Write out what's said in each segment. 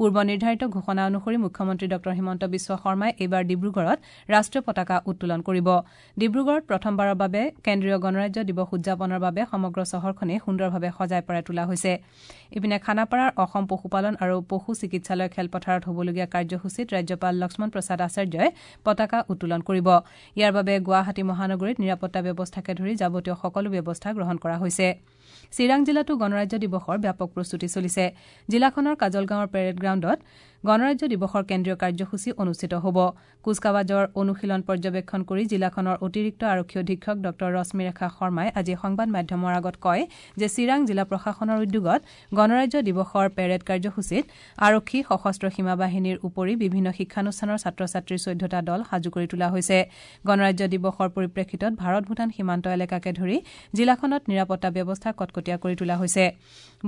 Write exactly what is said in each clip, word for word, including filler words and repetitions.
পূৰ্ব নিৰ্ধাৰিত ঘোষণা অনুসৰি মুখ্যমন্ত্ৰী ডঃ হিমন্ত বিশ্ব শৰ্মাই এইবাৰ ডিব্ৰুগড়ত ৰাষ্ট্ৰীয় পতাকা উত্তোলন কৰিব। ডিব্ৰুগড়ত প্ৰথমবাৰৰ বাবে কেন্দ্ৰীয় গণৰাজ্য দিৱস উদযাপনৰ বাবে সমগ্ৰ চহৰখনেই সুন্দৰভাৱে সজাই পৰাই তোলা হৈছে। ইপিনে খানাপাৰাৰ অসম পশুপালন আৰু পশু চিকিৎসালয় খেলপথাৰত হ'বলগীয়া কাৰ্যসূচীত ৰাজ্যপাল লক্ষ্মণ প্ৰসাদ আচাৰ্যই পতাকা উত্তোলন কৰিব। ইয়াৰ বাবে গুৱাহাটী মহানগৰীত নিৰাপত্তা ব্যৱস্থাকে ধৰি যাৱতীয় সকলো ব্যৱস্থা গ্ৰহণ কৰা হৈছে। চিৰাং জিলাতো গণৰাজ্য দিৱসৰ ব্যাপক প্ৰস্তুতি চলিছে। জিলাখনৰ কাজলগাঁৱৰ পেৰেড গ্ৰাউণ্ডত গণৰাজ্য দিৱসৰ কেন্দ্ৰীয় কাৰ্যসূচী অনুষ্ঠিত হ'ব। কুচকাৱাজৰ অনুশীলন পৰ্যবেক্ষণ কৰি জিলাখনৰ অতিৰিক্ত আৰক্ষী অধীক্ষক ডঃ ৰশ্মিৰেখা শৰ্মাই আজি সংবাদ মাধ্যমৰ আগত কয় যে চিৰাং জিলা প্ৰশাসনৰ উদ্যোগত গণৰাজ্য দিৱসৰ পেৰেড কাৰ্যসূচীত আৰক্ষী, সশস্ত্ৰ সীমা বাহিনীৰ উপৰি বিভিন্ন শিক্ষানুষ্ঠানৰ ছাত্ৰ ছাত্ৰীৰ চৈধ্যটা দল সাজু কৰি তোলা হৈছে। গণৰাজ্য দিৱসৰ পৰিপ্ৰেক্ষিতত ভাৰত ভূটান সীমান্ত এলেকাকে ধৰি জিলাখনত নিৰাপত্তা ব্যৱস্থা কটকটীয়া কৰি তোলা হৈছে।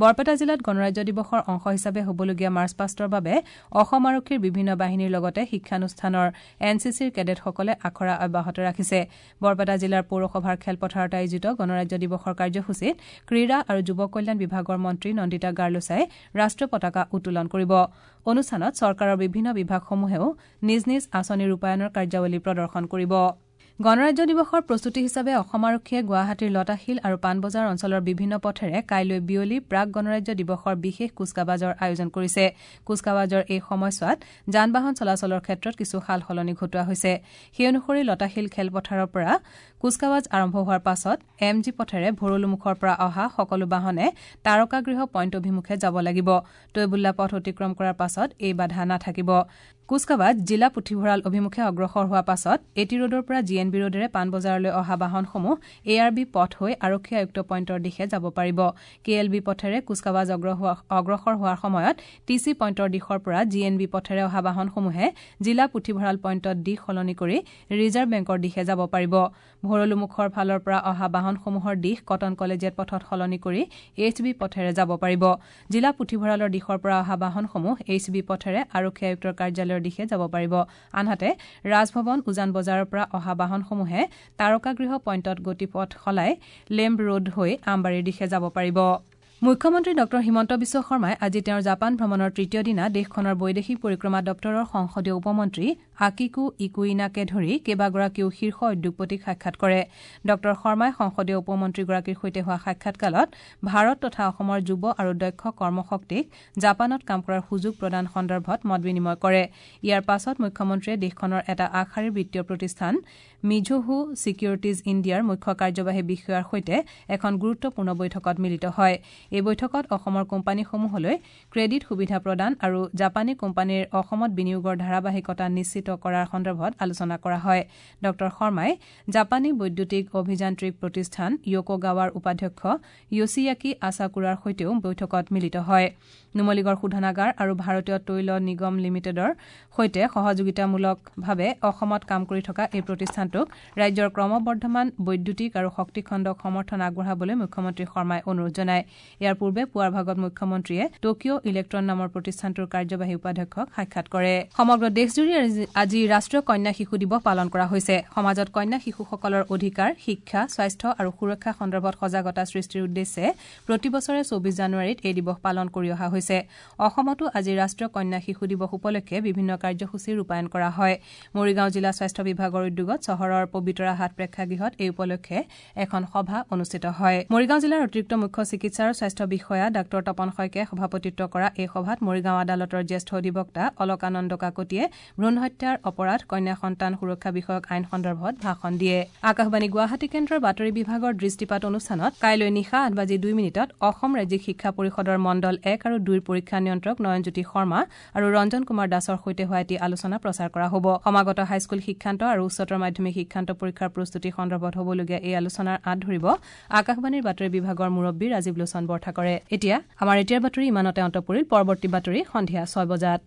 বৰপেটা জিলাত গণৰাজ্য দিৱসৰ অংশ হিচাপে হ'বলগীয়া মাৰ্চ পাষ্টৰ বাবে অসম আৰক্ষীৰ বিভিন্ন বাহিনীৰ লগতে শিক্ষানুষ্ঠানৰ এন চি চিৰ কেডেটসকলে আখৰা অব্যাহত ৰাখিছে। বৰপেটা জিলাৰ পৌৰসভাৰ খেলপথাৰত আয়োজিত গণৰাজ্য দিৱসৰ কাৰ্যসূচীত ক্ৰীড়া আৰু যুৱ কল্যাণ বিভাগৰ মন্ত্ৰী নন্দিতা গাৰ্লোচাই ৰাষ্ট্ৰীয় পতাকা উত্তোলন কৰিব। অনুষ্ঠানত চৰকাৰৰ বিভিন্ন বিভাগসমূহেও নিজ নিজ আঁচনি ৰূপায়ণৰ কাৰ্যাৱলী প্ৰদৰ্শন কৰিব। গণৰাজ্য দিৱসৰ প্ৰস্তুতি হিচাপে অসম আৰক্ষীয়ে গুৱাহাটীৰ লতাশিল আৰু পাণবজাৰ অঞ্চলৰ বিভিন্ন পথেৰে কাইলৈ বিয়লি প্ৰাক গণৰাজ্য দিৱসৰ বিশেষ কুচকাৱাজৰ আয়োজন কৰিছে। কুচকাৱাজৰ এই সময়ছোৱাত যান বাহন চলাচলৰ ক্ষেত্ৰত কিছু সাল সলনি ঘটোৱা হৈছে। সেই অনুসৰি লতাশিল খেলপথাৰৰ পৰা কুচকাৱাজ আৰম্ভ হোৱাৰ পাছত এম জি পথেৰে ভৰলুমুখৰ পৰা অহা সকলো বাহনে তাৰকাগৃহ পইণ্ট অভিমুখে যাব লাগিব। তৈবুল্লা পথ অতিক্ৰম কৰাৰ পাছত এই বাধা নাথাকিব। কুচকাৱাজ জিলা পুথিভঁৰাল অভিমুখে অগ্ৰসৰ হোৱাৰ পাছত এ টি ৰোডৰ পৰা জি এন বি ৰোডেৰে পাণবজাৰলৈ অহা বাহনসমূহ এ আৰ বি পথ হৈ আৰক্ষী আয়ুক্ত পইণ্টৰ দিশে যাব পাৰিব। কে এল বি পথেৰে কুচকাৱাজ অগ্ৰসৰ হোৱাৰ সময়ত টি চি পইণ্টৰ দিশৰ পৰা জি এন বি পথেৰে অহা বাহনসমূহে জিলা পুথিভঁৰাল পইণ্টত দিশ সলনি কৰি ৰিজাৰ্ভ বেংকৰ দিশে যাব পাৰিব। ভৰলুমুখৰ ফালৰ পৰা অহা বাহনসমূহৰ দিশ কটন কলেজিয়েট পথত সলনি কৰি এইচ বি পথেৰে যাব পাৰিব। জিলা পুথিভঁৰালৰ দিশৰ পৰা অহা বাহনসমূহ এইচ বি পথেৰে আৰক্ষী আয়ুক্তৰ কাৰ্যালয়ৰ দিশে যাব পাৰিব। আনহাতে ৰাজভৱন উজান বজাৰৰ পৰা অহা বাহনসমূহে তাৰকাগৃহ পইণ্টত গতিপথ সলাই লেম্ব ৰোড হৈ আমবাৰীৰ দিশে যাব পাৰিব। মুখ্যমন্ত্ৰী ডঃ হিমন্ত বিশ্ব শৰ্মাই আজি তেওঁৰ জাপান ভ্ৰমণৰ তৃতীয় দিনা দেশখনৰ বৈদেশিক পৰিক্ৰমা দপ্তৰৰ সংসদীয় উপমন্ত্ৰী আকিকো ইকুইনাকে ধৰি কেইবাগৰাকীও শীৰ্ষ উদ্যোগপতিক সাক্ষাৎ কৰে। ডঃ শৰ্মাই সংসদীয় উপমন্ত্ৰীগৰাকীৰ সৈতে হোৱা সাক্ষাৎকালত ভাৰত তথা অসমৰ যুৱ আৰু দক্ষ কৰ্মশক্তিক জাপানত কাম কৰাৰ সুযোগ প্ৰদান সন্দৰ্ভত মত বিনিময় কৰে। ইয়াৰ পাছত মুখ্যমন্ত্ৰীয়ে দেশখনৰ এটা আগশাৰীৰ বিত্তীয় প্ৰতিষ্ঠান মিজোহো ছিকিউৰিটিজ ইণ্ডিয়াৰ মুখ্য কাৰ্যবাহী বিষয়াৰ সৈতে এখন গুৰুত্বপূৰ্ণ বৈঠকত মিলিত হয়। এই বৈঠকত অসমৰ কোম্পানীসমূহলৈ ক্ৰেডিট সুবিধা প্ৰদান আৰু জাপানী কোম্পানীৰ অসমত বিনিয়োগৰ ধাৰাবাহিকতা নিশ্চিত কৰাৰ সন্দৰ্ভত আলোচনা কৰা হয়। ডঃ শৰ্মাই জাপানী বৈদ্যুতিক অভিযান্ত্ৰিক প্ৰতিষ্ঠান য়োকোগাৱাৰ উপাধ্যক্ষ য়োছিয়াকি আছাকুৰাৰ সৈতেও বৈঠকত মিলিত হয়। নুমলীগড় শোধনাগাৰ আৰু ভাৰতীয় তৈল নিগম লিমিটেডৰ সৈতে সহযোগিতামূলকভাৱে অসমত কাম কৰি থকা এই প্ৰতিষ্ঠানটোক ৰাজ্যৰ ক্ৰমবৰ্ধমান বৈদ্যুতিক আৰু শক্তি খণ্ডক সমৰ্থন আগবঢ়াবলৈ মুখ্যমন্ত্ৰী শৰ্মাই অনুৰোধ জনায়। ইয়াৰ পূৰ্বে পুৱাৰ ভাগত মুখ্যমন্ত্ৰীয়ে টকিঅ' ইলেক্ট্ৰন নামৰ প্ৰতিষ্ঠানটোৰ কাৰ্যবাহী উপাধ্যক্ষক সাক্ষাৎ কৰে। সমগ্ৰ দেশজুৰি আজি ৰাষ্ট্ৰীয় কন্যা শিশু দিৱস পালন কৰা হৈছে। সমাজত কন্যা শিশুসকলৰ অধিকাৰ, শিক্ষা, স্বাস্থ্য আৰু সুৰক্ষা সন্দৰ্ভত সজাগতা সৃষ্টিৰ উদ্দেশ্যে প্ৰতি বছৰে চৌবিশ জানুৱাৰীত এই দিৱস পালন কৰি অহা হৈছে। অসমতো আজি ৰাষ্ট্ৰীয় কন্যা শিশু দিৱস উপলক্ষে বিভিন্ন কাৰ্যসূচী ৰূপায়ণ কৰা হয়। মৰিগাঁও জিলা স্বাস্থ্য বিভাগৰ উদ্যোগত চহৰৰ পবিতৰা হাট প্ৰেক্ষাগৃহত এই উপলক্ষে এখন সভা অনুষ্ঠিত হয়। মৰিগাঁও জিলাৰ অতিৰিক্ত মুখ্য চিকিৎসা আৰু স্বাস্থ্য বিষয়া ডাঃ তপন শইকীয়াই সভাপতিত্ব কৰা এই সভাত মৰিগাঁও আদালতৰ জ্যেষ্ঠ অধিবক্তা অলকানন্দ কাকতিয়ে ভ্ৰূণ হত্যাৰ অপৰাধ, কন্যা সন্তান সুৰক্ষা বিষয়ক আইন সন্দৰ্ভত ভাষণ দিয়ে। আকাশবাণী গুৱাহাটী কেন্দ্ৰৰ বাতৰি বিভাগৰ দৃষ্টিপাত অনুষ্ঠানত কাইলৈ নিশা আঠ বাজি দুই মিনিটত অসম ৰাজ্যিক শিক্ষা পৰিষদৰ মণ্ডল এক আৰু দুইৰ পৰীক্ষা নিয়ন্ত্ৰক নয়নজ্যোতি শৰ্মা আৰু ৰঞ্জন কুমাৰ দাসৰ সৈতে হোৱা এটি আলোচনা প্ৰচাৰ কৰা হ'ব। সমাগত হাইস্কুল শিক্ষান্ত আৰু উচ্চতৰ মাধ্যমিক শিক্ষান্ত পৰীক্ষাৰ প্ৰস্তুতি সন্দৰ্ভত হ'বলগীয়া এই আলোচনাৰ আঁত ধৰিব আকাশবাণীৰ বাতৰি বিভাগৰ মুৰব্বী ৰাজীৱ লোচন বৰঠাকৰে। এতিয়া আমাৰ এতিয়াৰ বাতৰি ইমানতে অন্ত পৰিল। পৰৱৰ্তী বাতৰি সন্ধিয়া ছয় বজাত।